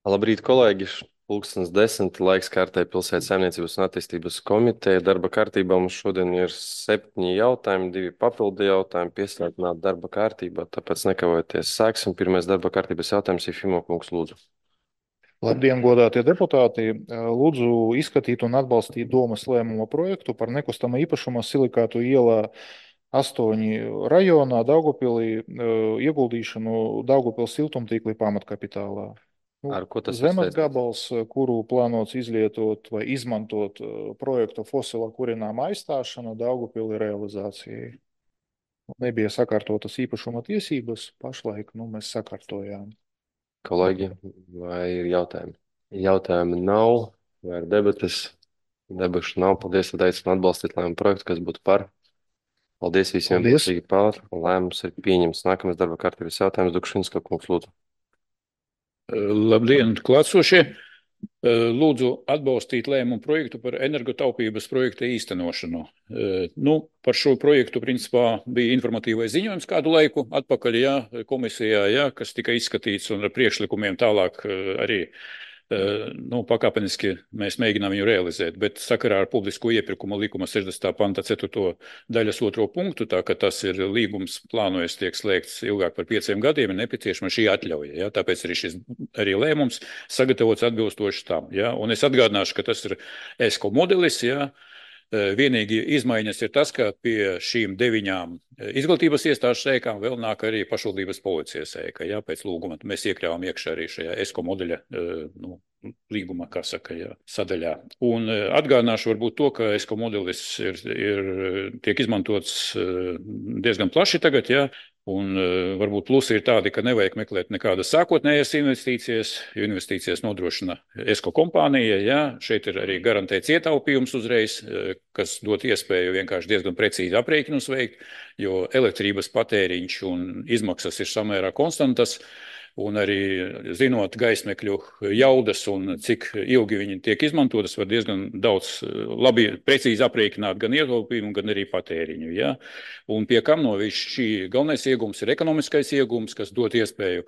Labrīt, kolēģi! Pulkstens 10. Laiks kārtai Pilsētas saimniecības un attīstības komiteja. Darba kārtībā mums šodien ir 7 jautājumi, 2 papildu jautājumi pieslēgtināt darba kārtībā, tāpēc nekavēties sāksim. Pirmais darba kārtības jautājums ir Fimo kungs, lūdzu. Labdien, godātie deputāti! Lūdzu izskatīt un atbalstīt domas lēmuma projektu par nekustamā īpašuma Silikātu ielā 8 rajonā Daugavpilī ieguldīšanu Daugavpils siltumtīkli pamatkapitālā. Ar ko tas ir Zemes saistīts? gabals, kuru plānots izlietot vai izmantot projekta fosila kurināma aizstāšana Daugavpilī realizācijai. Nebija sakārtotas īpašuma tiesības, pašlaik mēs sakārtojām. Kolēģi, vai ir jautājumi? Jautājumi nav, vai ir debates? Debašu nav. Paldies, tad aicinu atbalstīt lēmumu projektu, kas būtu par. Paldies visiem, Paldies! balsīgi par. Lēmums ir pieņemts. Nākamais darba kārtības jautājums Dukšinska kungs, lūdzu. Labdien, klātsošie! Lūdzu atbalstīt lēmumu projektu par energotaupības projekta īstenošanu. Par šo projektu principā bija informatīvais ziņojums kādu laiku atpakaļ, komisijā, kas tika izskatīts un ar priekšlikumiem tālāk arī pakāpeniski mēs mēģinām viņu realizēt, bet sakarā ar publisko iepirkuma likuma 60. panta 4. daļas 2. punktu, tā ka tas ir līgums plānojas tiek slēgts ilgāk par 5 gadiem, ir nepieciešama šī atļauja, tāpēc arī šis lēmums sagatavots atbilstoši tam, un es atgādināšu, ka tas ir ESCO modelis, Vienīgi izmaiņas ir tas, ka pie šīm 9 izglītības iestāžu sēkām vēl nāk arī pašvaldības policijas sēka, pēc lūguma. Mēs iekļāvām iekšā arī šajā ESCO modeļa līguma, sadaļā. Un atgādināšu varbūt to, ka ESCO modelis tiek izmantots diezgan plaši tagad, un varbūt plusi ir tādi, ka nevajag meklēt nekādas sākotnējas investīcijas, jo investīcijas nodrošina ESCO kompānija, šeit ir arī garantēts ietaupījums uzreiz, kas dot iespēju vienkārši diezgan precīzi aprēķinus veikt, jo elektrības patēriņš un izmaksas ir samērā konstantas, un arī zinot gaismekļu jaudas un cik ilgi viņi tiek izmantotas, var diezgan daudz labi precīzi aprēķināt gan ietaupījumu, gan arī patēriņu. Un pie kam no šī galvenais iegums ir ekonomiskais iegums, kas dot iespēju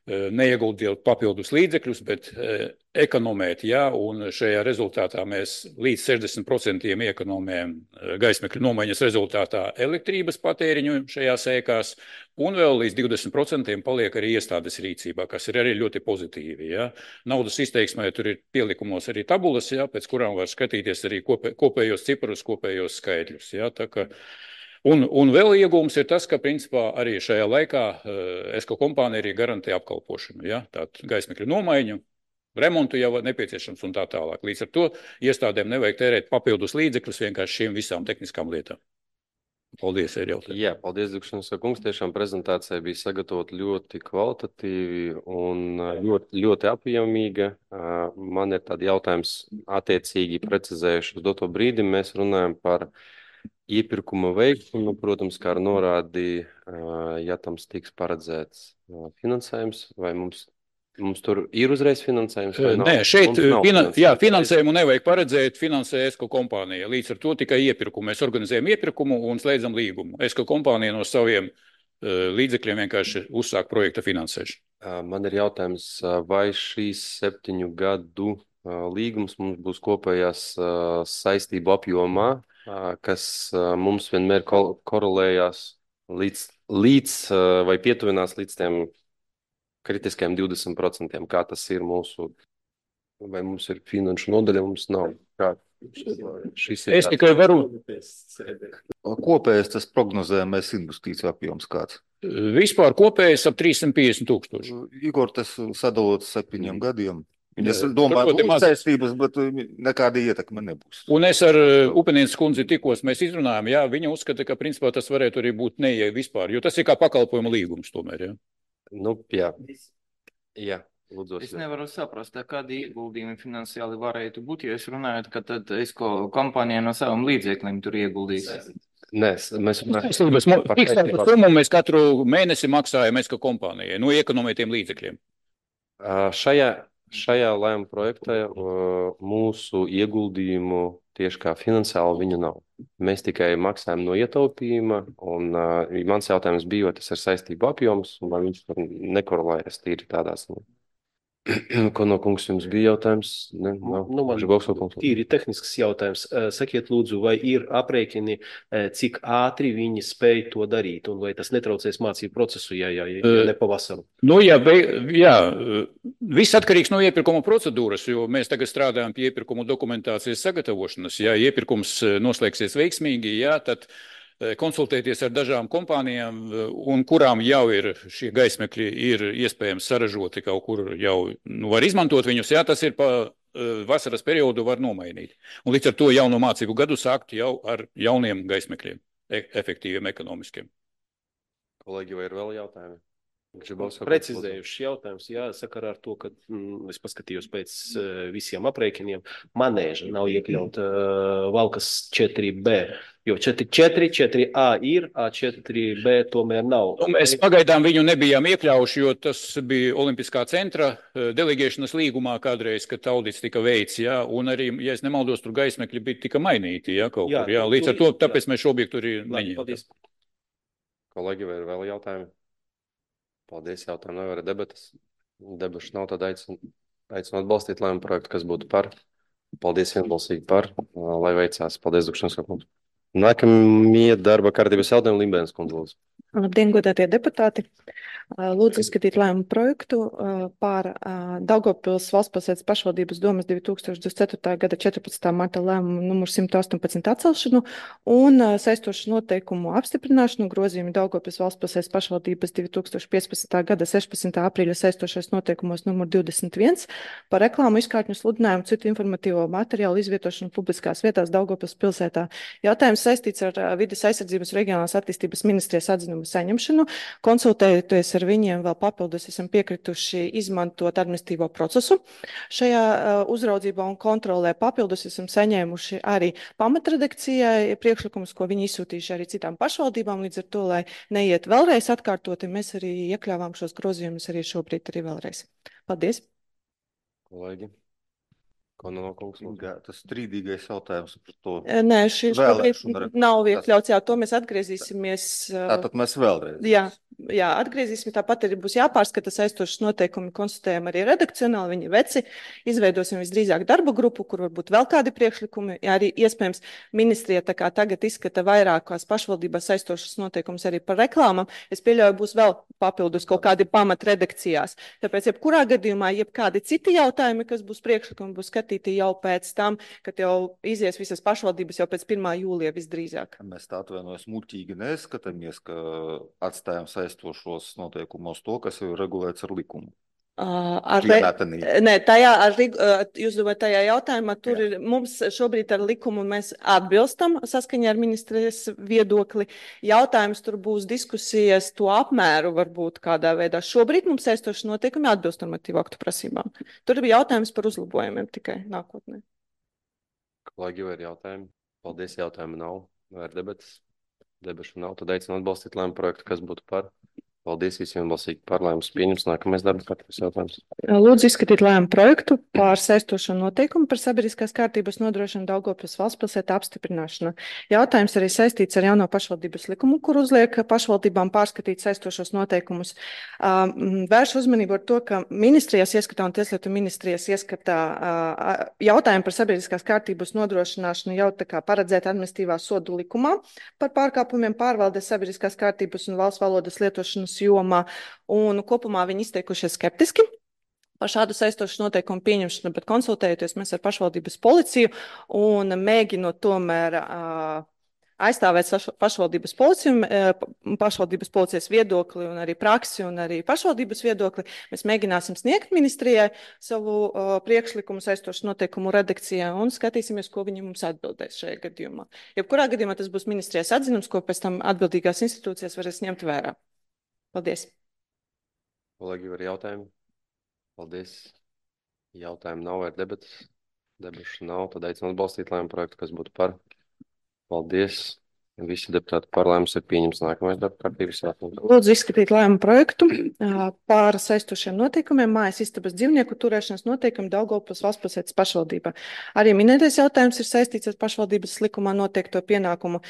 neieguldīt papildus līdzekļus, bet ekonomēt, un šajā rezultātā mēs līdz 60% iekonomējam gaismekļu nomaiņas rezultātā elektrības patēriņu šajās ēkās, un vēl līdz 20% paliek arī iestādes rīcībā, kas ir arī ļoti pozitīvi. Naudas izteiksmē tur ir pielikumos arī tabulas, pēc kurām var skatīties arī kopējos ciparus, kopējos skaitļus. Tā kā Un vēl iegūms ir tas, ka principā arī šajā laikā ESCO kompānija arī garantē apkalpošanu, tātad gaismekļu nomaiņu, remontu jau nepieciešams un tā tālāk. Līdz ar to iestādēm nevajag tērēt papildus līdzekļus vienkārši šīm visām tehniskām lietām. Paldies, ir jautājumi. Paldies, Dukšanas kungs. Tiešām prezentācija bija sagatavota ļoti kvalitatīvi un ļoti apjomīga. Man ir tādi jautājums attiecīgi precizējuši uz doto brīdi. Mēs runājam par iepirkuma veikšanu, protams, kā norādīja, ja tam tiks paredzēts finansējums, vai mums tur ir uzreiz finansējums? Nē, šeit finansējumu nevajag paredzēt, finansē ESCO kompānija. Līdz ar to tikai iepirkumu. Mēs organizējam iepirkumu un slēdzam līgumu. ESCO kompānija no saviem līdzekļiem vienkārši uzsāk projekta finansēšanu. Man ir jautājums, vai šīs 7 gadu līgums mums būs kopējās saistību apjomā, kas mums vienmēr korelējās līdz vai pietuvinās līdz tiem kritiskajiem 20%, kā tas ir mūsu, vai mums ir finanšu nodaļa, mums nav. Es tikai varu. Kopējais tas prognozējamais investīciju apjoms kāds? Vispār kopējais ap 350 000. Igor, tas sadalot 7 gadiem. Es domāju, ka būs saistības, bet nekāda ietekme nebūs. Un es ar Upenieces kundzi tikos mēs izrunājām, viņa uzskata, ka principā tas varētu arī būt neie vispār, jo tas ir kā pakalpojuma līgums tomēr, Lūdzu. Es nevaru saprast, kādi ieguldījumi finansiāli varētu būt, ja es runāju, ka tad ESCO kompānija no saviem līdzekļiem tur ieguldīs. Nē, mēs summu mēs katru mēnesi maksājam ESCO kompānijai, no iekonomētiem līdzekļiem. Šajā lēmuma projektā mūsu ieguldījumu tieši kā finansāli viņu nav. Mēs tikai maksājam no ietaupījuma, un mans jautājums bija, vai tas ir saistību apjoms, un vai viņš tur nekorelējas tīri tādās. Ko no kungs jums bija jautājums? Ne, nav. Nu, man Žibovs vai kungs? tīri tehnisks jautājums. Sakiet, lūdzu, vai ir aprēķini, cik ātri viņi spēj to darīt, un vai tas netraucēs mācību procesu, ja ne pavasaru? Nu, jā, viss atkarīgs no iepirkuma procedūras, jo mēs tagad strādājam pie iepirkuma dokumentācijas sagatavošanas. Ja iepirkums noslēgsies veiksmīgi, jā, tad konsultēties ar dažām kompānijām, un kurām jau ir šie gaismekļi, ir iespējams saražoti kaut kur jau, var izmantot viņus, jā, tas ir pa vasaras periodu var nomainīt. Un līdz ar to jauno mācību gadu sākt jau ar jauniem gaismekļiem, efektīviem, ekonomiskiem. Kolēģi, vai ir vēl jautājumi? Precizējušs jautājums, jā, sakarā ar to, ka es paskatījos pēc visiem aprēķiniem, manēža nav iekļaut Valkas 4B, jo 4, 4A ir, A4B tomēr nav. Mēs pagaidām viņu nebijām iekļaujuši, jo tas bija Olimpiskā centra delegēšanas līgumā kādreiz, kad audits tika veids, jā, un arī, ja es nemaldos, tur gaismekļi bija tika mainīti, jā, kaut kur, jā, līdz ar to, tāpēc mēs šo objektu arī neņēmām. Kolēģi, vai ir vēl jautājumi? Paldies, jautājumu nav, ir debatas. Debašu nav, tad aicinu atbalstīt lēmumu projektu, kas būtu par. Paldies vienbalsīgi par, lai veicās. Paldies, Dukšanas kungs. Nākamie darba kārtības jautājumi Limbēnas kundze, lūdzu. Labdien, godātie deputāti! Lūdzu izskatīt lēmumu projektu par Daugavpils valstspilsētas pašvaldības domes 2024. gada 14. marta lēmumu numur 118 atcelšanu un saistošu noteikumu apstiprināšanu, grozījumu Daugavpils valstspilsētas pašvaldības 2015. gada 16. aprīļa saistošais noteikumos numur 21 par reklāmu, izkārtņu sludinājumu, citu informatīvo materiālu izvietošanu publiskās vietās Daugavpils pilsētā. Jautājums saistīts ar vides aizsardzības reģionālās attīstības ministrijas atzinumu saņemšanu. Konsultējoties ar viņiem vēl papildus, esam piekrituši izmantot administratīvo procesu. Šajā uzraudzībā un kontrolē papildus esam saņēmuši arī pamatredakcijai priekšlikumus, ko viņi izsūtījuši arī citām pašvaldībām. Līdz ar to, lai neiet vēlreiz atkārtoti, mēs arī iekļāvām šos grozījumus arī šobrīd arī vēlreiz. Paldies! Kolēģi. Kononkungs, tas strīdīgais jautājums par to. Nē, šis nav iekļauts, jā, to mēs atgriezīsimies. Tātad mēs vēlreiz. Jā, atgriezīsim, tāpat arī būs jāpārskata saistošas noteikumi, konstatējam arī redakcionāli, viņi veci, izveidosim visdrīzāk darba grupu, kur varbūt vēl kādi priekšlikumi, jā, arī iespējams ministrija tā kā tagad izskata vairākās pašvaldībās saistošas noteikumus arī par reklāmām, es pieļauju, būs vēl papildus kaut kādi pamat redakcijās, tāpēc jebkurā gadījumā, jebkādi citi jautājumi, kas būs priekšlikumi, būs skatīti jau pēc tam, kad jau izies visas pašvaldības jau pēc 1. jūlija visdrīzāk. Mēs tā atvainojas muļķīgi neskatāmies, ka atstājam saistošos noteikumos to, kas jau regulēts ar likumu. Nē, jūs domājat, tajā jautājumā, tur ir, mums šobrīd ar likumu mēs atbilstam saskaņā ar ministrijas viedokli. Jautājums tur būs diskusijas to apmēru varbūt kādā veidā. Šobrīd mums saistoši noteikumi atbilst normatīvu aktu prasībām. Tur ir jautājums par uzlabojumiem tikai nākotnē. Kolēģi, vai ir jautājumi? Paldies, jautājumi nav. Vai ir debatas? Debašu nav, tad aicinu atbalstīt lēmumu projektu, kas būtu par. Paldies visiem balsīgi par lēmumus pieņems. Nākamais darba kārtības jautājums. Lūdzu izskatīt lēmumu projektu par saistošo noteikumu par sabiedriskās kārtības nodrošinu Daugavpils valstspilsētā apstiprināšanu. Jautājums arī saistīts ar jauno pašvaldības likumu, kur uzliek pašvaldībām pārskatīt saistošos noteikumus. Vērš uzmanību ar to, ka ministrijas ieskatā un tieslietu ministrijas ieskatā jautājumu par sabiedriskās kārtības nodrošināšanu jau tā kā paredzēt administratīvā sodu likumā par pārkāpumiem pārvaldes sabiedriskās kārtības un valsts valodas lietošanas jomā, un kopumā viņi izteikušies skeptiski par šādu saistošu noteikumu pieņemšanu, bet konsultējoties mēs ar pašvaldības policiju un mēģinot tomēr aizstāvēt pašvaldības policijas viedokli un arī praksi un arī pašvaldības viedokli, mēs mēģināsim sniegt ministrijai savu priekšlikumu saistošu noteikumu redakcijā un skatīsimies, ko viņi mums atbildēs šajā gadījumā. Jebkurā gadījumā tas būs ministrijas atzinums, ko pēc tam atbildīgās institūcijas varēs ņemt vērā. Paldies. Kolēģi, var jautājumi? Paldies. Jautājumi nav, vai debatas? Debašu nav, tad aicinu atbalstīt lēmumu projektu, kas būtu par. Paldies. Visi deputāti par lēmumu ir pieņems nākamais darba kārtības jautājums. Lūdzu izskatīt lēmumu projektu par saistošiem noteikumiem mājas istabas dzīvnieku turēšanas noteikumu Daugavpils valstspilsētas pašvaldībā. Arī minētais jautājums ir saistīts ar pašvaldības likumā noteikto pienākumu.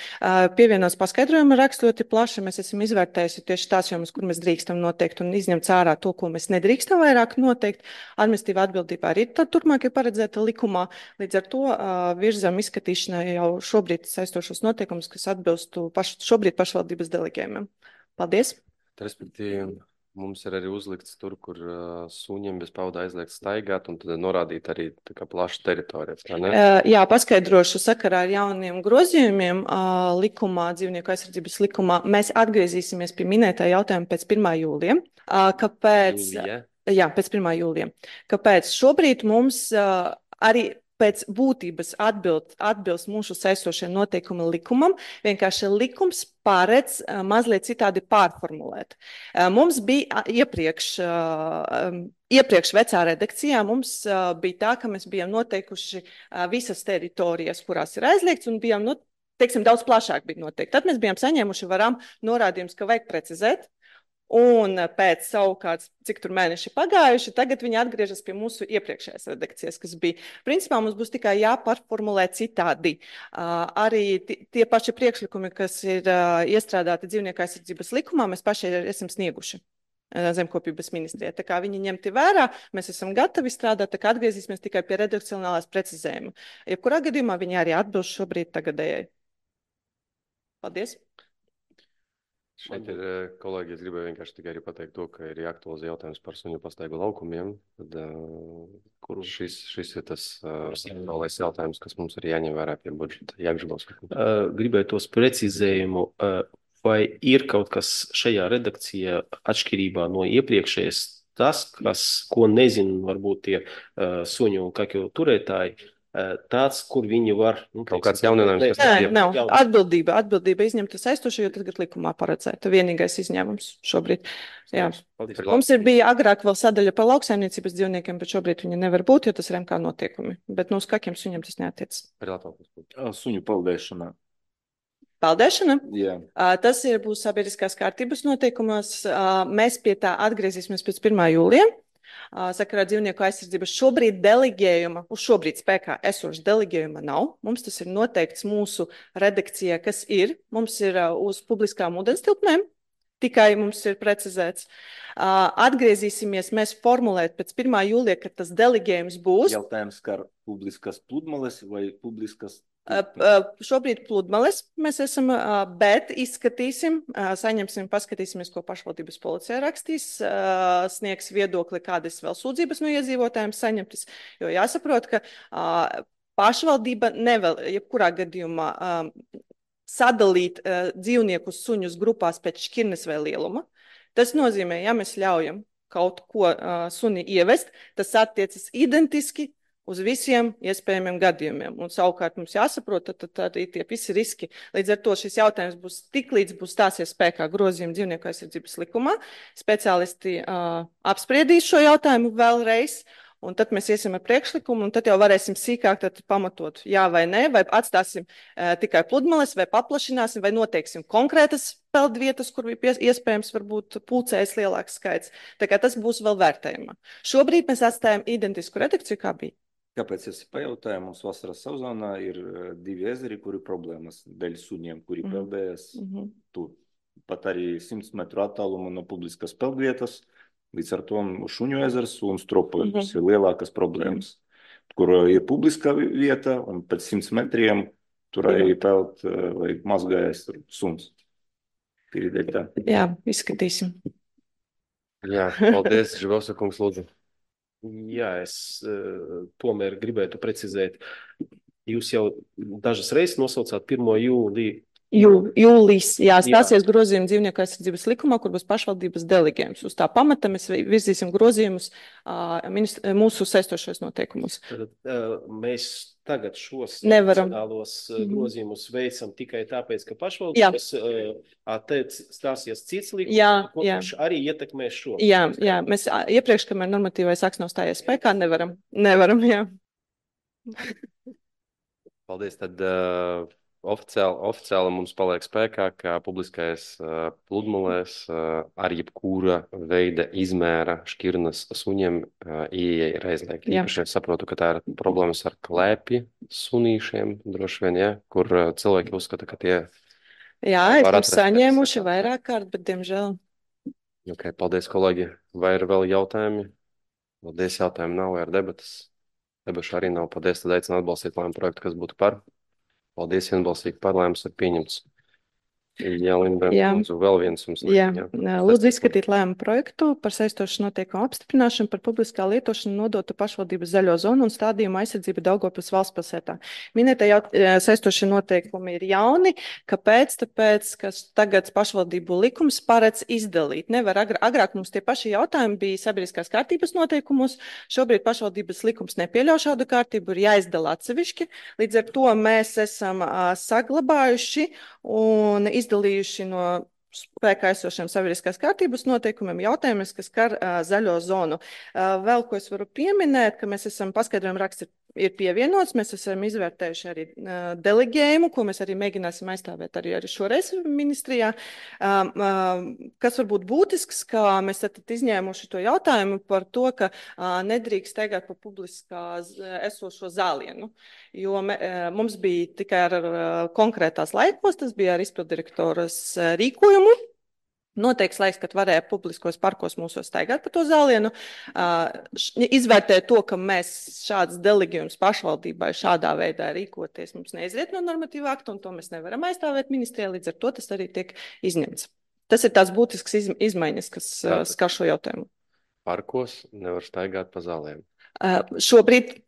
Pievienos paskaidrojumu raksts ļoti plaši. Mēs esam izvērtējuši tieši tās jomas, kur mēs drīkstam noteikt un izņemt ārā to, ko mēs nedrīkstam vairāk noteikt. Administratīvā atbildībā arī turpmāk ir paredzēta likumā. Līdz ar to virzam izskatīšanai jau šobrīd saistošos noteikumus, kas atbilstu šobrīd pašvaldības delegējumiem. Paldies! Respektīvi, mums ir arī uzlikts tur, kur suņiem bez pavada aizliegt staigāt, un tad norādīt arī tā kā plaša teritorija. Jā, paskaidrošu sakarā ar jauniem grozījumiem likumā, dzīvnieku aizsardzības likumā. Mēs atgriezīsimies pie minētā jautājuma pēc 1. jūlija. Kāpēc? Jā, pēc 1. jūlija. Kāpēc? Šobrīd mums arī pēc būtības atbilst mūsu saistošie noteikumi likumam, vienkārši likums paredz mazliet citādi pārformulēt. Mums bija iepriekš vecā redakcijā, mums bija tā, ka mēs bijām noteikuši visas teritorijas, kurās ir aizliegts, un bijām, teiksim, daudz plašāk bija noteikti. Tad mēs bijām saņēmuši norādījumus, ka vajag precizēt. Un pēc savukārt, cik tur mēneši pagājuši, tagad viņi atgriežas pie mūsu iepriekšējās redakcijas, kas bija. Principā mums būs tikai jāpārformulē citādi. Arī tie paši priekšlikumi, kas ir iestrādāti dzīvnieku aizsardzības likumā, mēs paši esam snieguši Zemkopības ministrijai. Tā kā viņi ņemti vērā, mēs esam gatavi strādāt, tā kā atgriezīsimies tikai pie redakcionālās precizējuma. Jebkurā gadījumā viņi arī atbilst šobrīd tagadējai. Paldies! Šeit ir kolēģi, es gribēju vienkārši tikai arī pateikt to, ka ir jāaktualizē jautājums par suņu pastaigu laukumiem, tad, kur šis ir tas centrālais jautājums, kas mums ir jāņem vērā pie budžeta. Gribēju tos precizējumu, vai ir kaut kas šajā redakcijā atšķirībā no iepriekšējais tas, ko nezinu, varbūt tie suņu un kakju turētāji, tāds, kur viņi var... Kaut kāds jauninājums, kas nav. Atbildība izņemta saistoša, jo tagad likumā paredzēta. Vienīgais izņēmums šobrīd. Jā. Mums bija agrāk vēl sadaļa par lauksaimniecības dzīvniekiem, bet šobrīd viņi nevar būt, jo tas ir MK notiekumi. Bet no uz kakiem suņiem tas neatiec. Suņu peldēšana. Peldēšana? Jā. Tas būs sabiedriskās kārtības noteikumos. Mēs pie tā atgriezīsimies pēc 1. jūlija. Sakarā dzīvnieku aizsardzības šobrīd delegējuma, uz šobrīd spēkā esoša delegējuma nav. Mums tas ir noteikts mūsu redakcijā, kas ir. Mums ir uz publiskām ūdenstilpnēm, tikai mums ir precizēts. Atgriezīsimies mēs formulēt pēc 1. jūlija, kad tas delegējums būs. Jautājums, kā publiskas pludmales vai publiskas? Šobrīd pludmales mēs esam, bet izskatīsim, saņemsim, paskatīsimies, ko pašvaldības policija rakstīs, sniegs viedokli, kādas vēl sūdzības no iedzīvotājiem saņemtas, jo jāsaprot, ka pašvaldība nevēl, jebkurā gadījumā, sadalīt dzīvniekus suņus grupās pēc šķirnes vai lieluma. Tas nozīmē, ja mēs ļaujam kaut ko suni ievest, tas attiecas identiski uz visiem iespējamiem gadījumiem. Un savukārt mums jāsaprot, tad arī tie visi riski. Līdz ar to šis jautājums būs tiklīdz būs stāsies spēkā grozījuma dzīvnieku aizsardzības likumā. Speciālisti apspriedīs šo jautājumu vēlreiz, un tad mēs iesim ar priekšlikumu, un tad jau varēsim sīkāk pamatot jā vai nē, vai atstāsim tikai pludmales, vai paplašināsim, vai noteiksim konkrētas peldvietas, kur bija iespējams varbūt pulcējas lielāks skaits. Tā kā tas būs vēl vērtējumā. Šobrīd mēs atstājam identisku redakciju, kā bija. Kāpēc es pajautāju, mums vasaras sezonā ir 2 ezeri, kuri problēmas dēļ suņiem, kuri peldējas tur. Pat arī 100 metru attālumu no publiskas peldvietas, līdz ar to Šuņu ezers un Stropoļus ir lielākas problēmas, kur ir publiska vieta, un pēc 100 metriem tur arī peld vai mazgājas suns. Jā, izskatīsim. Jā, paldies, Žibovsa kungs, lūdzu. Jā, es tomēr gribētu precizēt. Jūs jau dažas reizes nosaucāt 1. jūliju. Jūlijas, jā, stāsies grozījumi dzīvnieku aizsardzības likumā, kur būs pašvaldības delegējums. Uz tā pamata mēs virzīsim grozījumus mūsu saistošos noteikumus. Tad mēs tagad šos nacionālos grozījumus veicam tikai tāpēc, ka pašvaldības stāsies cits likums, kurš arī ietekmē šo. Jā, mēs iepriekš, kamēr normatīvais akts nav stājies spēkā, nevaram, jā. Paldies, tad oficiāli mums paliek spēkā, ka publiskais pludmalēs ar jebkura veida izmēra šķirnes suņiem ieeja ir aizliegta. Jā. Īpaši es saprotu, ka tā ir problēmas ar klēpju sunīšiem, droši vien, ja, kur cilvēki uzskata, ka tie Jā, var esmu atrast saņēmuši pēc- vairāk kārt, bet, diemžēl, Ok, paldies, kolēģi. Vai ir vēl jautājumi? Paldies, jautājumi nav, vai ir debatas? Debašu arī nav. Paldies, tad aicinu atbalstīt lēmumu projektu, kas būtu par. Paldies, vienbalsīgi par lēmums ir pieņemts. Jā, Linda, Jā. lūdzu, vēl viens jums. Jā, lūdzu Sestais izskatīt lēmumu projektu par saistošu noteikumu apstiprināšanu par publiskā lietošanu nodotu pašvaldības zaļo zonu un stādījumu aizsardzību Daugavpils valstspilsētā. Minētie saistošie noteikumi ir jauni. Kāpēc? Tāpēc, ka tagad pašvaldību likums paredz izdalīt. Nevar agrāk mums tie paši jautājumi bija sabiedriskās kārtības noteikumos. Šobrīd pašvaldības likums nepieļauj šādu kārtību, ir jāizdala atsevišķi. Līdz ar to mēs esam saglabājuši un izdalījuši no spēkā esošiem sabiedriskās kārtības noteikumiem jautājumus, kas skar zaļo zonu. Vēl ko es varu pieminēt, ka mēs esam paskaidrojumu raksts ir pievienots, mēs esam izvērtējuši arī deleģējumu, ko mēs arī mēģināsim aizstāvēt arī šoreiz ministrijā. Kas var būt būtisks, ka mēs esam izņēmuši to jautājumu par to, ka nedrīkst steigāt pa publiskā esošo zālienu, jo mums bija tikai ar konkrētās laikos, tas bija ar izpildirektoras rīkojumu. Noteikts laiks, kad varēja publiskos parkos mūsos staigāt pa to zālienu. Izvērtēt to, ka mēs šādas deleģējumus pašvaldībai šādā veidā rīkoties mums neizriet no normatīva akta, un to mēs nevaram aizstāvēt ministrijā, līdz ar to tas arī tiek izņemts. Tas ir tās būtisks izmaiņas, kas skar šo jautājumu. Parkos nevar staigāt pa zālēm. Šobrīd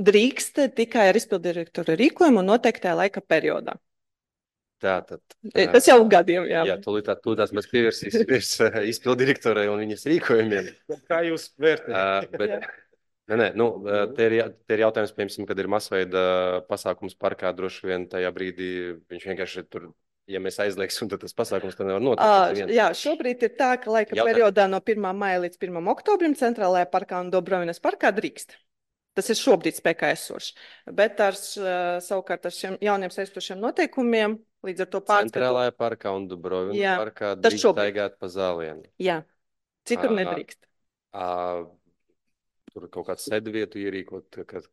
drīkst tikai ar izpildirektora rīkojumu un noteiktajā laika periodā. Tātad. Tas jau gadiem, jā. Jā, tūlītās mēs pievērsīsimies izpildirektorai un viņas rīkojumiem. Kā jūs vērtējat? Te ir jautājums, piemēram, kad ir masveida pasākums parkā, droši vien tajā brīdī viņš vienkārši tur, ja mēs aizliegsim, tad tas pasākums tad nevar notikt. Jā, šobrīd ir tā, ka laika periodā no 1. maija līdz 1. oktobrim centrālajā parkā un Dobrovinas parkā drīkst. Tas ir šobrīd spēkā esošs. Bet savukārt ar šiem jauniem saistošiem noteikumiem, līdz ar to pārskatu. Centrālajā parkā un Dobrovinas parkā drīkst staigāt pa zālienu. Jā, citur nedrīkst. Tur kaut kāds sēdvietu ierīkot, kad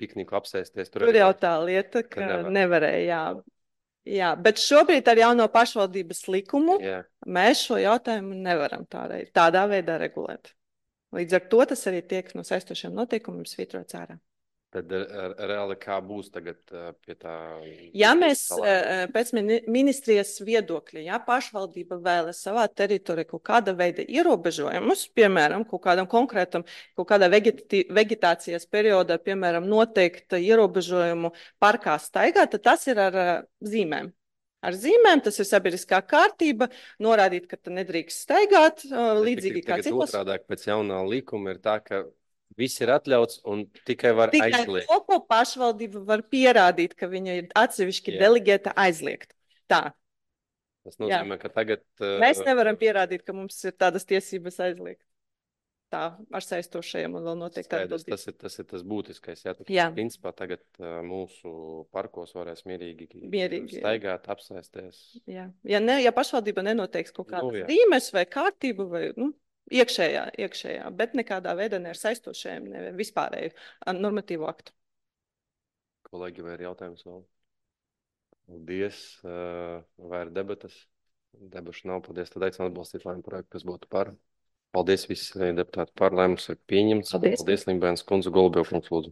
pikniku apsēsties. Tur jau tā lieta, ka nevarēja, jā. Bet šobrīd ar jauno pašvaldības likumu mēs šo jautājumu nevaram tādā veidā regulēt. Līdz ar to tas arī tiek no saistošiem noteikumiem svītrots ārā. Tad reāli kā būs tagad pie tā? Ja mēs pēc ministrijas viedokļa, ja pašvaldība vēlas savā teritorijā kaut kāda veida ierobežojumus, piemēram, kaut kādam konkrētam, kaut kādā vegetācijas periodā, piemēram, noteikta ierobežojumu parkā staigāt, tad tas ir ar zīmēm. Ar zīmēm tas ir sabiedriskā kārtība, norādīt, ka tu nedrīkst staigāt, līdzīgi kā citos. Otrādāk pēc jaunā likuma ir tā, ka viss ir atļauts un tikai var aizliegt. Tikai to, ko pašvaldība var pierādīt, ka viņa ir atsevišķi deleģēta aizliegt. Tā. Tas nozīmē, ka tagad... Mēs nevaram pierādīt, ka mums ir tādas tiesības aizliegt. Tā, ar saistošajiem un vēl noteikti atbildības. Tas ir tas būtiskais. Jā. Principā tagad mūsu parkos varēs mierīgi staigāt, apsēsties. Jā. Ja pašvaldība nenoteiks kaut kādas zīmes vai kārtību vai iekšējā, bet nekādā veidā ne ar saistošajiem, ne vispārēju normatīvu aktu. Kolēģi, vai ir jautājums vēl? Paldies. Vai ir debatas? Debašu nav. Paldies. Tad aicinu atbalstīt lēmumu projektu, kas būtu par. Paldies visi deputāti par lēmums ir pieņemts. Paldies, Limbēns kundze, Golubiev kungs, lūdzu.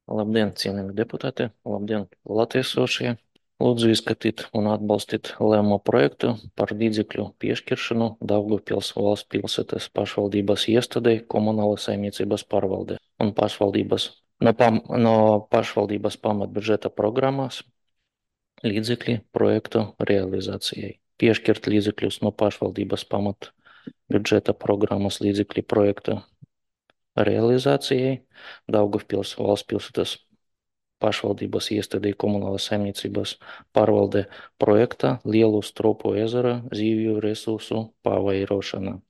Labdien, cienījami deputāti. Labdien, latiesošie. Lūdzu izskatīt un atbalstīt lēmumu projektu par līdzekļu piešķiršanu Daugavpils valsts pilsētas pašvaldības iestādei komunālas saimniecības pārvaldē un no pašvaldības pamatbudžeta programmas līdzekļi projektu realizācijai. Piešķirt līdzekļus no pašvaldības pamatbudžeta programmas līdzekļi projektu realizācijai Daugavpils valsts pilsētas pašvaldības iestādei komunālas saimniecības pārvalde projekta Lielu Stropu ezera zīvju resursu pavairošana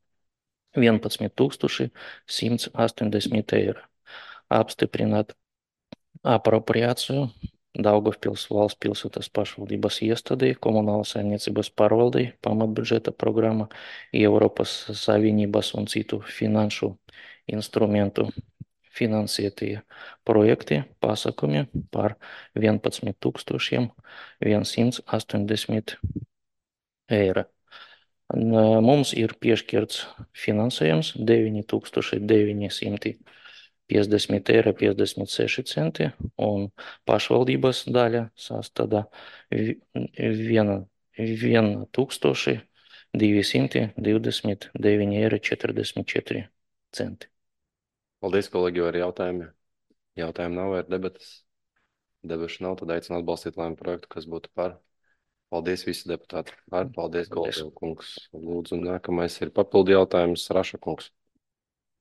11 180 eiro. Apstiprināt apropriāciju Daugavpils valsts pilsētas pašvaldības iestādē, komunālas saimniecības pārvaldei, pamatbudžeta programma, Eiropas Savienības un citu finanšu instrumentu finansētie projekti pasākumi par 11 180 eiro. Mums ir piešķirts finansējums 9 950 eiro 56 centi, un pašvaldības daļa sastāda 1229 eiro 44 centi. Paldies, kolēģi, ar jautājumiem. Jautājumu nav, ir debatas. Debašu nav, tad aicinu atbalstīt lēmumu projektu, kas būtu par. Paldies visi deputāti. Paldies, Golda kungs. Lūdzu, nākamais ir papildu jautājums, Raša kungs.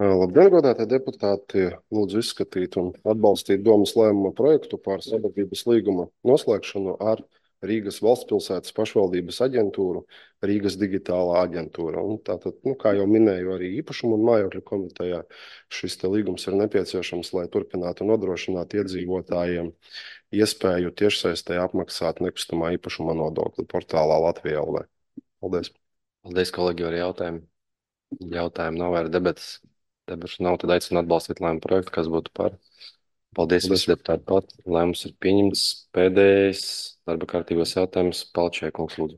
Labdien, godātie deputāti, lūdzu izskatīt un atbalstīt domas lēmuma projektu par sadarbības līguma noslēgšanu ar Rīgas valstspilsētas pašvaldības aģentūru, Rīgas digitālā aģentūra. Un tātad, kā jau minēju, arī īpašumu un mājokļu komitejā šis te līgums ir nepieciešams, lai turpinātu nodrošināt iedzīvotājiem iespēju tiešsaistē apmaksāt nekustamā īpašuma nodokli portālā Latvijā LV. Paldies. Paldies, kolēģi, ar jautājumu. Jautājumu nav, ir debatas. Debašu nav, tad aicinu atbalstīt lēmumu projektu, kas būtu par. Paldies, visi deputāti pat. Lēmums ir pieņemts. Pēdējais darba kārtības jautājums. Palčē, kungs, lūdzu.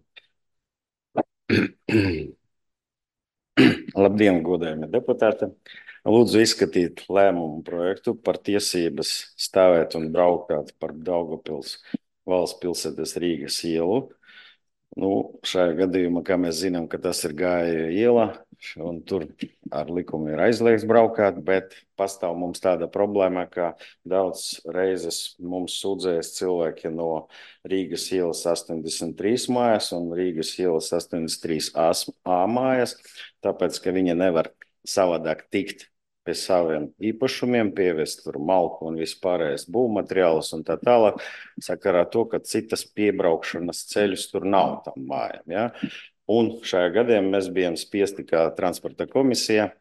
Labdien, godējumi deputāti. Lūdzu izskatīt lēmumu projektu par tiesības stāvēt un braukāt par Daugavpils valsts pilsētas Rīgas ielu. Šajā gadījumā, kā mēs zinām, ka tas ir Gāja iela, un tur ar likumu ir aizliegts braukāt, bet pastāv mums tāda problēma, ka daudz reizes mums sūdzējas cilvēki no Rīgas ielas 83 mājas un Rīgas ielas 83A mājas, tāpēc, ka viņi nevar savādāk tikt pie saviem īpašumiem, pievest tur malku un vispārējais būvmateriālus un tā tālāk, sakarā to, ka citas piebraukšanas ceļus tur nav tam mājām. Ja? Un šajā gadījumā mēs bijām spiesti kā transporta komisija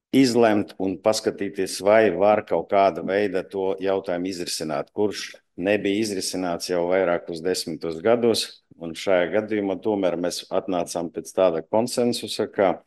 izlemt un paskatīties, vai var kaut kāda veida to jautājumu izrisināt, kurš nebija izrisināts jau vairākus 10 gados. Un šajā gadījumā tomēr mēs atnācām pēc tāda konsensusa, ka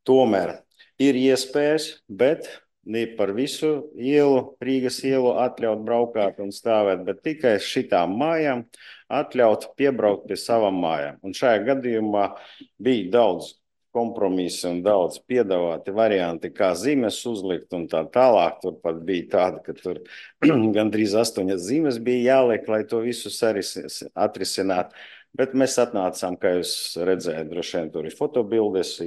tomēr ir iespējas, bet ne par visu ielu, Rīgas ielu atļaut braukāt un stāvēt, bet tikai šitām mājām atļaut piebraukt pie savām mājām. Un šajā gadījumā bija daudz kompromisu un daudz piedāvāti varianti, kā zīmes uzlikt un tā tālāk. Tur pat bija tāda, ka tur gandrīz 8 zīmes bija jāliek, lai to visu atrisināt. Bet mēs atnācām, kā jūs redzējāt, droši vien tur ir fotobildes,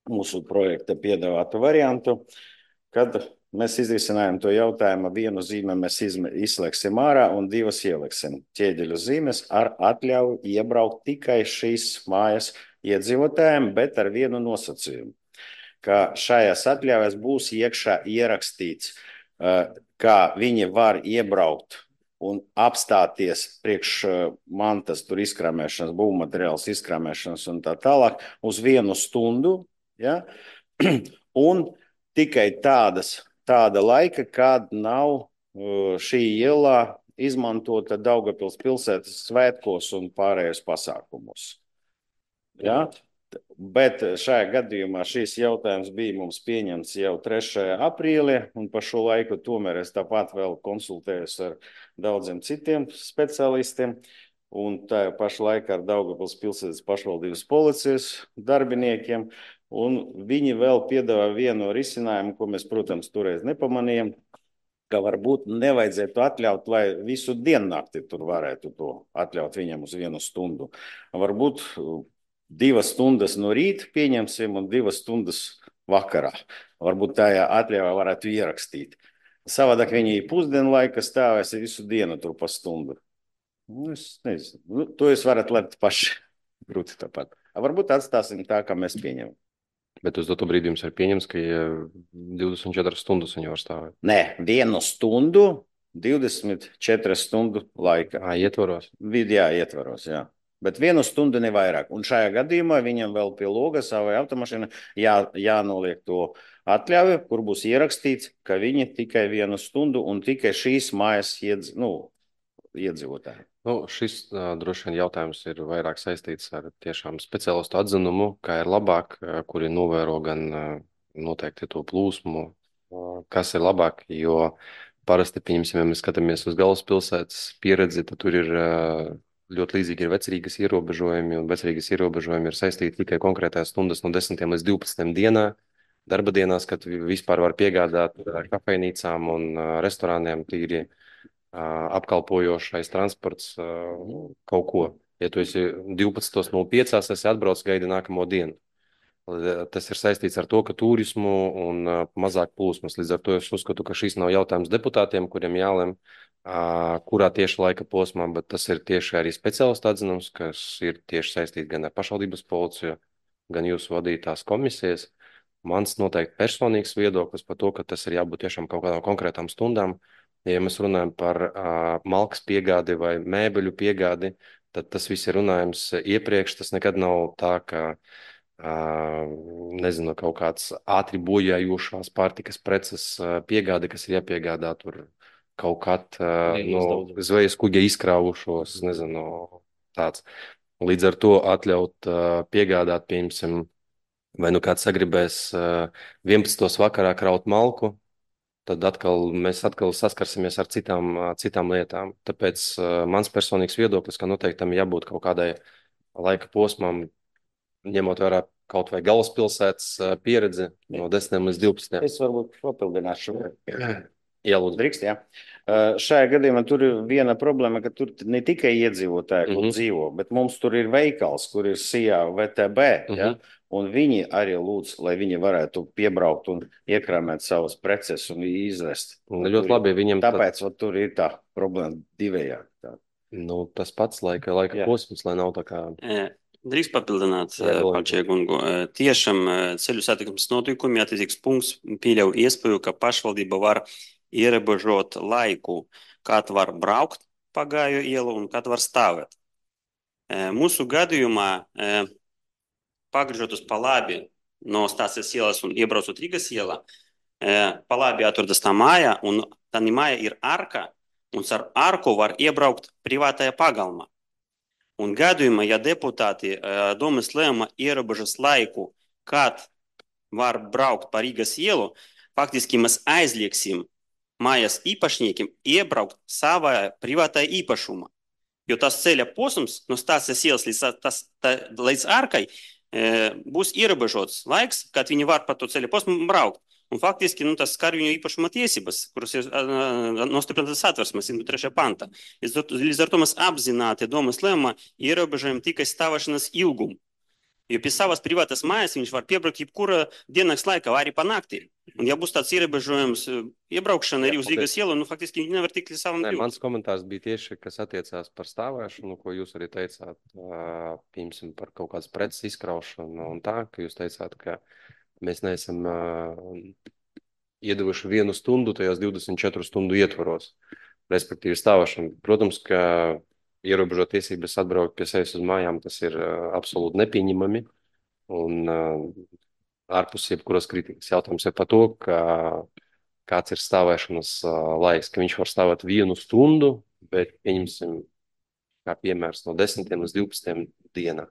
mūsu projekta piedāvātu variantu, kad mēs izrisinājām to jautājumu, vienu zīmi mēs izslēgsim ārā un 2 ieliksim ķieģeļu zīmes ar atļauju iebraukt tikai šīs mājas iedzīvotājiem, bet ar vienu nosacījumu, ka šajās atļaujas būs iekšā ierakstīts, kā viņi var iebraukt un apstāties priekš mantas tur izkrāmēšanas, būvmateriāls izkrāmēšanas un tā tālāk uz 1 stundu, ja? Un tikai tāda laika, kad nav šī iela izmantota Daugavpils pilsētas svētkos un pārējos pasākumos. Ja? Bet šajā gadījumā šīs jautājums bija mums pieņemts jau 3. aprīlī, un pa šo laiku tomēr es tāpat vēl konsultējos ar daudziem citiem specialistiem, un tā paša laikā ar Daugavpils pilsētas pašvaldības policijas darbiniekiem, un viņi vēl piedāvā vienu risinājumu, ko mēs, protams, toreiz nepamanījām, ka varbūt nevajadzētu atļaut, lai visu diennakti tur varētu to atļaut viņam uz 1 stundu. Varbūt 2 stundas no rīta pieņemsim un 2 stundas vakarā. Varbūt tajā atļaujā varētu ierakstīt. Savādāk viņi pusdienlaika stāvēs visu dienu tur pa stundu. Es nezinu. To jūs varat lemt paši. Grūti tāpat. Varbūt atstāsim tā, kā mēs pieņemam. Bet uz doto brīdi jums ir pieņems, ka 24 stundas viņi var stāvēt? Nē, 1 stundu, 24 stundu laika. Ietvaros? Jā, ietvaros, jā. Bet 1 stundu ne vairāk. Un šajā gadījumā viņam vēl pie loga savai automašīnai jānoliek to atļauju, kur būs ierakstīts, ka viņi tikai 1 stundu un tikai šīs mājas iedzīvotājiem? Šis droši vien jautājums ir vairāk saistīts ar tiešām speciālistu atzinumu, kā ir labāk, kuri novēro gan noteikti to plūsmu, kas ir labāk, jo parasti, pieņemsim, ja mēs skatāmies uz galvaspilsētas pieredzi, tad tur ir ļoti līdzīgi ir vecrīgas ierobežojumi, un vecrīgas ierobežojumi ir saistīti tikai konkrētās stundas no 10 līdz 12 dienā, darba dienās, kad vispār var piegādāt kafejnīcām un restorāniem tīri apkalpojošais transports kaut ko. Ja tu esi 12.05, esi atbrauc gaidi nākamo dienu. Tas ir saistīts ar to, ka turismu un mazāk plūsmas. Līdz ar to es uzskatu, ka šis nav jautājums deputātiem, kuriem jālem, kurā tieši laika posmā, bet tas ir tieši arī speciālistu atzinums, kas ir tieši saistīts gan ar pašvaldības policiju, gan jūsu vadītās komisijas. Mans noteikti personīgs viedoklis par to, ka tas ir jābūt tiešām kaut kādām konkrētām stundām. Ja mēs runājam par malkas piegādi vai mēbeļu piegādi, tad tas viss ir runājums iepriekš. Tas nekad nav tā, ka nezinu, kaut kāds ātri bojājošās pārtikas preces piegāde, kas ir jāpiegādā tur kaut kad no zvejas kuģa izkrāvušos, nezinu, tāds. Līdz ar to atļaut piegādāt, piemēram, vai nu kāds sagribēs 11. vakarā kraut malku, tad mēs atkal saskarsimies ar citām lietām. Tāpēc mans personīgs viedoklis, ka noteikti tam jābūt kaut kādai laika posmam, ņemot vērā kaut vai galvaspilsētas pieredzi no 10 līdz 12. Es varbūt papildināšu. Jā, lūdzu. Drīkst, jā. Šajā gadījumā tur ir viena problēma, ka tur ne tikai iedzīvotāji, kur dzīvo, bet mums tur ir veikals, kur ir SIA VTB, ja? Un viņi arī lūdz, lai viņi varētu piebraukt un iekrāmēt savas preces un izvest. Ļoti labi, viņiem tāpēc tur ir tā problēma divējādi. Tas pats laika posms, lai nav tā kā... Drīkst papildināt Palčiekungu. Tiešām ceļu satiksmes notikumi attiecīgs punkts pieļauj iespēju, ka pašvaldība var ierobežot laiku, kad var braukt pa Gāju ielu un kad var stāvēt. Mūsu gadījumā pagriežot uz pa labi no Stācijas ielas un iebraucot Rīgas ielā, pa labi atrodas tā māja, un tā māja ir arka, un ar arku var iebraukt privātajā pagalmā. Un gadījumā, ja deputāti domas lēma ierobežas laiku, kad var braukt pa Rīgas ielu, faktiski mēs aizlieksim mājas īpašniekiem iebraukt savā privātajā īpašumā. Jo tas ceļa posms no Stācijas ielas līdz arkai būs ierobežots laiks, kad viņi var pa to ceļa posmu braukt. Un faktiski tas skar viņu īpašuma tiesības, kuras ir nostiprinātas Satversmes 103. panta. Līdz ar to mēs apzināti domas lēmumā ierobežojam tikai stāvēšanas ilgumu. Jo pie savas privātas mājas viņš var piebraukt jebkura diennakts laikā, vai arī pa naktī. Un ja būs tāds ierobežojums iebraukšana arī uz Rīgas ielu, faktiski viņi nevar tikt līdz savam brīvim. Mans komentārs bija tieši, kas attiecās par stāvēšanu, ko jūs arī teicāt, piemēram, par kaut kādas preces izkraušanu un tā, ka jūs teicāt, ka mēs neesam iedevuši 1 stundu tajās 24 stundu ietvaros, respektīvi stāvēšanu. Protams, ka ierobežot tiesības atbraukt pie sevis uz mājām, tas ir absolūti nepieņemami un ārpus jebkuras kritikas. Jautājums ir par to, kāds ir stāvēšanas laiks, ka viņš var stāvēt 1 stundu, bet pieņemsim, kā piemērs, no 10 līdz 12 dienā.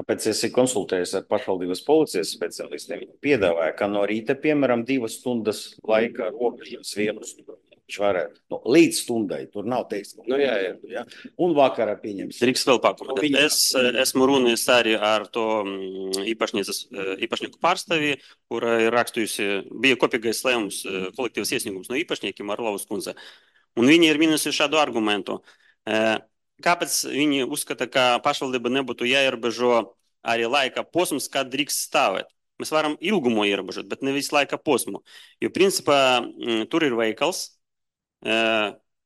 Tāpēc es konsultējos ar pašvaldības policijas speciālistiem. Viņi piedāvāja, ka no rīta, piemēram, 2 stundas laika robežas 1 stundu. Viņš varētu līdz stundai, tur nav teiks. Jā. Un vakarā pieņems. Drīkst vēl pakomentēt. Es esmu runājis arī ar to īpašnieku pārstāvi, kura ir rakstījusi, bija kopīgais lēmums, kolektīvas iesniegums no īpašniekiem Arlovas kundze. Un viņi ir minusi šādu argumentu. Kāpēc viņi uzskata, ka pašvaldība nebūtu jāierobežo arī laika posms, kad drīkst stāvēt? Mēs varam ilgumu ierobežot, bet nevis laika posmu. Jo principā tur ir veikals,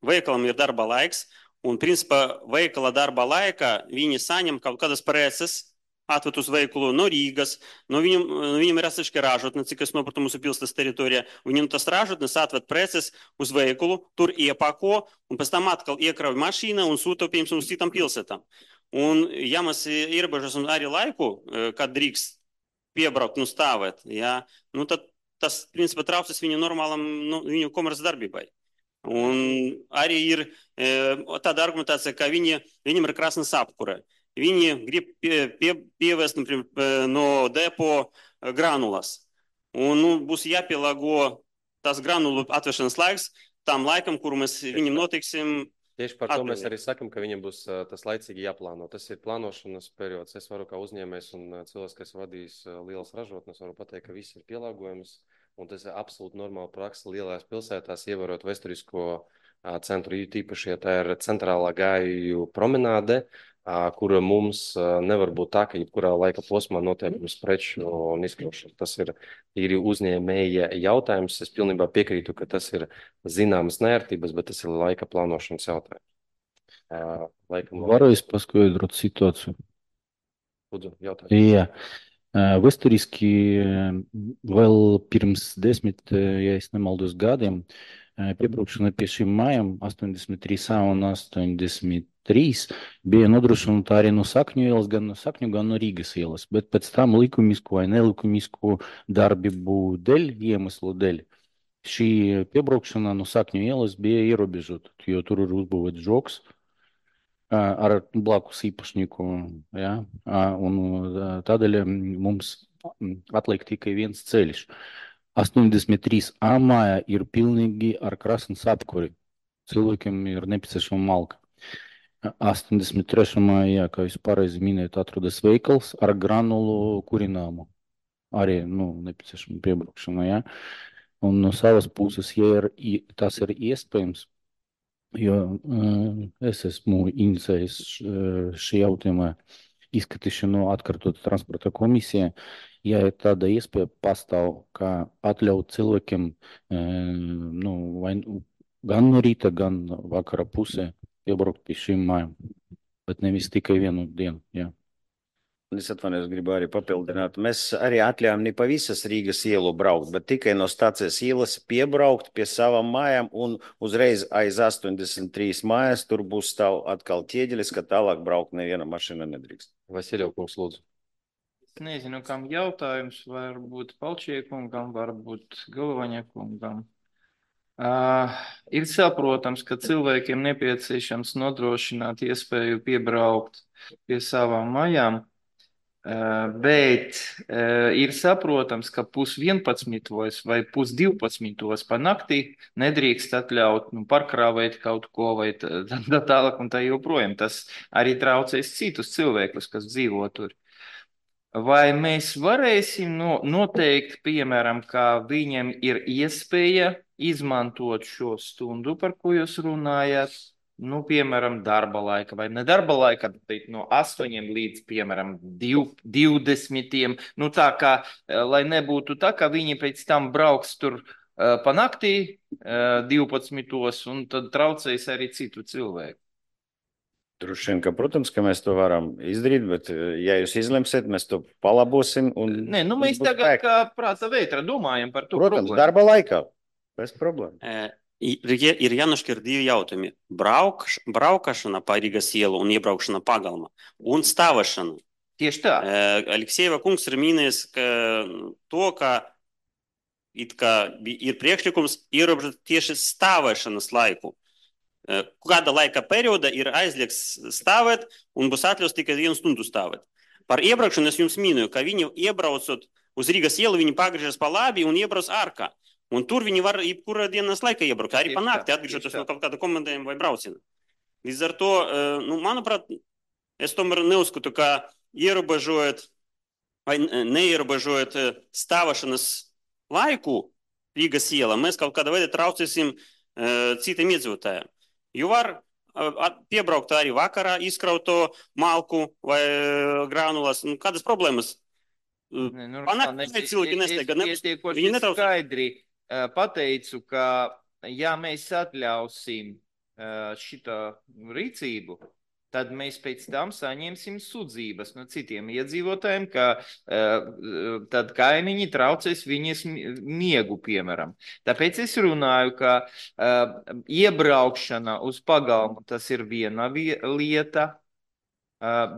veikalam ir darba laiks, un principā veikala darba laikā viņi saņem kaut kādas preces, atved uz veikalu no Rīgas, no viņam ir atsevišķa ražotne, cik es nopratu mūsu pilsētas teritorijā, viņam tas ražotnes atved preces uz veikalu, tur iepako, un pēc tam atkal iekrauj mašīna un sūta, piemēram, uz citām pilsētām. Un ja mēs ierobežosim arī laiku, kad drīkst piebraukt un stāvēt, tad tas, principā, traucas viņu normālam, viņu komerces darbībai. Un arī ir tāda argumentācija, ka viņam ir krasnes apkure. Viņi grib pievest no depo granulas. Un būs jāpielāgo tas granulu atvešanas laiks tam laikam, kuru mēs viņam notiksim. Tieši par to mēs arī sakam, ka viņam būs tas laicīgi jāplāno. Tas ir plānošanas periods. Es varu kā uzņēmējs un cilvēks, kas vadīs lielas ražotnes, varu pateikt, ka viss ir pielāgojums. Un tas ir absolūti normāla praksa lielās pilsētās, ievērot vēsturisko centru. Tīpaši, ja tā ir centrālā gāju promenāde, kura mums nevar būt tā, ka jebkurā laika posmā notiek preču un izkraušana. Tas ir tīri uzņēmēja jautājums. Es pilnībā piekrītu, ka tas ir zināmas neērtības, bet tas ir laika plānošanas jautājums. Varu es paskaidrot situāciju? Lūdzu, jautājums. Jā. Vēsturiski vēl pirms 10, ja es nemaldos gadiem, piebraukšana pie šīm mājām 83 un 83 bija nodrošināta arī no Sakņu ielas, gan no Sakņu, gan no Rīgas ielas, bet pēc tam likumisku vai nelikumisku darbību dēļ, iemeslu dēļ, šī piebraukšana no Sakņu ielas bija ierobežota, jo tur ir uzbūvēts žoks ar blakus īpašnieku, ja? Un tādēļ mums atliek tikai viens ceļš. 83A māja ir pilnīgi ar krasnes apkuri. Cilvēkiem ir nepieciešama malka. 83. mājā, kā jūs pareizi minējat, atrodas veikals ar granulu kurināmu. Arī, nepieciešama piebraukšana, ja? Un no savas puses, ja tas ir iespējams, jo es esmu inicējis šī jautājuma izskatīšanu atkārtot transporta komisijā, ja ir tāda iespēja pastāv, kā atļaut cilvēkiem gan no rīta, gan vakara pusē piebraukt pie šīm mājām, bet nevis tikai vienu dienu, jā. Es atvainojos, gribu arī papildināt. Mēs arī atļājām ne pa visas Rīgas ielu braukt, bet tikai no stācijas ielas piebraukt pie savām mājām un uzreiz aiz 83 mājas tur būs stāv atkal ķieģelis, ka tālāk braukt neviena mašīna nedrīkst. Vasiljev kungs, lūdzu. Es nezinu, kam jautājums, varbūt Palčiekungam, varbūt Galvaņakungam. Ir saprotams, ka cilvēkiem nepieciešams nodrošināt iespēju piebraukt pie savām mājām, bet ir saprotams, ka 10:30 vai 11:30 pa naktī nedrīkst atļaut parkrāvēt kaut ko vai tālāk un tā joprojām. Tas arī traucēs citus cilvēkus, kas dzīvo tur. Vai mēs varēsim noteikt, piemēram, ka viņam ir iespēja izmantot šo stundu, par ko jūs runājat, piemēram, darba laika vai ne darba laika, bet no 8 līdz, piemēram, 20. Tā kā, lai nebūtu tā, ka viņi pēc tam brauks tur pa naktī 12. un tad traucēs arī citu cilvēku. Droši vien, ka, protams, ka mēs to varam izdarīt, bet, ja jūs izlemsiet, mēs to palabosim. Nē, mēs tagad kā prāta vētra domājam par to protams, problēmu. Darba laikā, bez problēmu. Ir jānošķir divi jautājumi. Braukšana pa Rīgas ielu un iebraukšana pagalma un stāvēšana. Tieši tā. Aleksejeva kungs ir minējis to, ka ir priekšlikums ierobežot tieši stāvēšanas laiku. Kāda laika perioda ir aizliegts stāvēt un būs atļauts tikai 1 stundu stāvēt. Par iebraukšanu es jums minēju, ka viņi iebraucot uz Rīgas ielu, viņi pagriežas pa labi un iebrauc ārkā. Un tur viņi var jebkurā dienas laikā iebraukt, arī pa nakti, atgriežoties no kaut kāda komandējuma vai brauciena. Līdz ar to, manuprāt, es tomēr neuzskatu, ka ierobežojot vai neierobežojot stāvēšanas laiku Rīgas ielā, mēs kaut kādā veidā traucēsim citiem iedzīvotājiem. Jo var piebraukt arī vakarā, izkraut to malku vai granulas. Kādas problēmas? Cilvēki nesteigā. Viņi skaidri pateicu, ka ja mēs atļausim šito rīcību, tad mēs pēc tam saņemsim sūdzības no citiem iedzīvotājiem, ka tad kaimiņi traucēs viņas miegu, piemēram. Tāpēc es runāju, ka iebraukšana uz pagalmu tas ir viena lieta,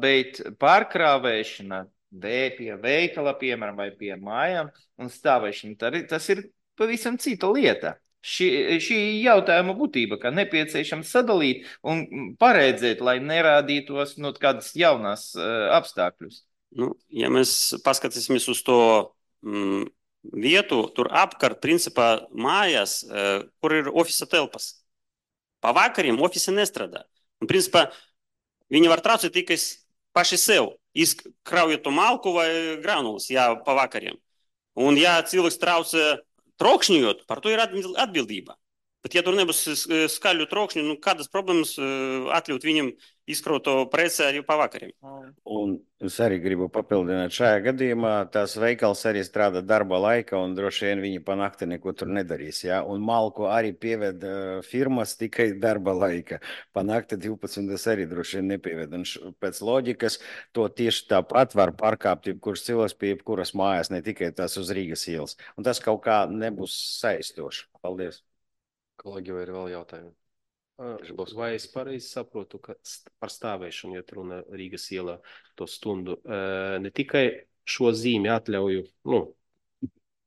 bet pārkrāvēšana pie veikala, piemēram, vai pie mājām un stāvēšana, tas ir pavisam cita lieta. šī jautājuma būtība, ka nepieciešams sadalīt un paredzēt, lai nerādītos kādas jaunas apstākļus. Nu, ja mēs paskatīsimies uz to vietu, tur apkārt, principā, mājās, kur ir ofisa telpas. Pavakariem ofisi nestrādā. Un, principā, viņi var traucēt tikai paši sev, izkraujot to malku vai granulas, jā, pavakariem. Un, ja cilvēks traucē trokšņojot, par to ir atbildība. Bet, ja tur nebūs skaļu trokšņu, kādas problēmas atļaut viņam izkraut to preci arī pavakariem? Un es arī gribu papildināt, šajā gadījumā tās veikals arī strādā darba laika, un droši vien viņi pa nakti neko tur nedarīs. Ja? Un malku arī pieved firmas tikai darba laika. Pa nakti 12 arī droši vien nepieved. Un pēc loģikas to tieši tāpat var pārkāpt jebkurš cilvēks pie jebkuras mājas, ne tikai tās uz Rīgas ielas. Un tas kaut kā nebūs saistoši. Paldies. Kolēģi, vai ir vēl jautājumi? Vai es pareizi saprotu, ka par stāvēšanu, ja runa Rīgas ielā to stundu, ne tikai šo zīmi atļauju,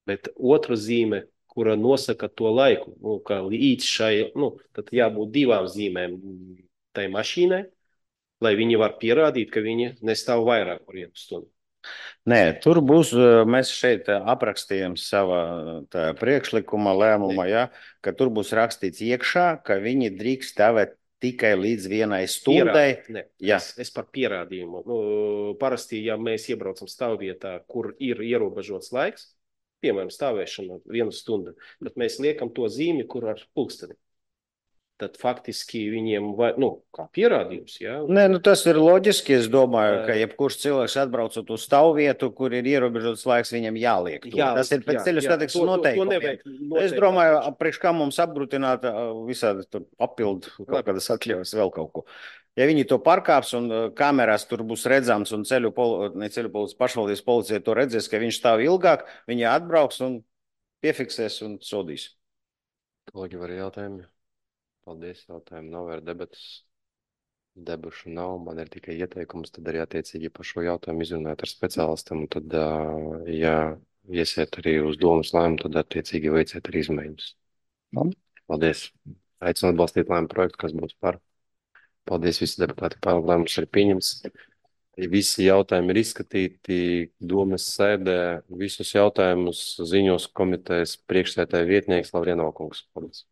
bet otra zīme, kura nosaka to laiku, ka līdz šai, tad jābūt divām zīmēm tai mašīnai, lai viņi var pierādīt, ka viņi nestāv vairāk par 1 stundu. Nē, tur būs, mēs šeit aprakstījām savā priekšlikuma lēmumā, ja, ka tur būs rakstīts iekšā, ka viņi drīkst stāvēt tikai līdz 1 stundai. Es par pierādījumu. Parasti, ja mēs iebraucam stāvvietā, kur ir ierobežots laiks, piemēram, stāvēšana 1 stunda, tad mēs liekam to zīmi, kur ar pulksteni. Tad faktiski viņiem, kā pierādījums, jā? Nē, tas ir loģiski, es domāju, ka jebkurš cilvēks atbraucot uz stāvvietu, kur ir ierobežots laiks, viņam jāliek. Tas ir pēc ceļu satiksmes noteikumiem. Es domāju, priekš kā mums apgrūtināt visādi tur papildu kaut kādas atļaujas vēl kaut ko. Ja viņi to pārkāps un kamerās tur būs redzams un pašvaldības policija to redzēs, ka viņš stāv ilgāk, viņi atbrauks un piefiksēs un sodīs. Kolēģi, var jautājumi? Paldies, jautājumu nav, ir debatas. Debušu nav, man ir tikai ieteikums, tad arī attiecīgi par šo jautājumu izrunāt ar speciālistiem, un tad, ja iesiet arī uz domas lēmumu, tad attiecīgi veiciet arī izmaiņas. Paldies. Aicinu atbalstīt lēmumu projektu, kas būs par. Paldies, visi deputāti, par lēmumus ir pieņemts. Visi jautājumi ir izskatīti domas sēdē. Visus jautājumus ziņos komitejas priekšsēdētāja vietnieks Lavrienovkungs. Paldies.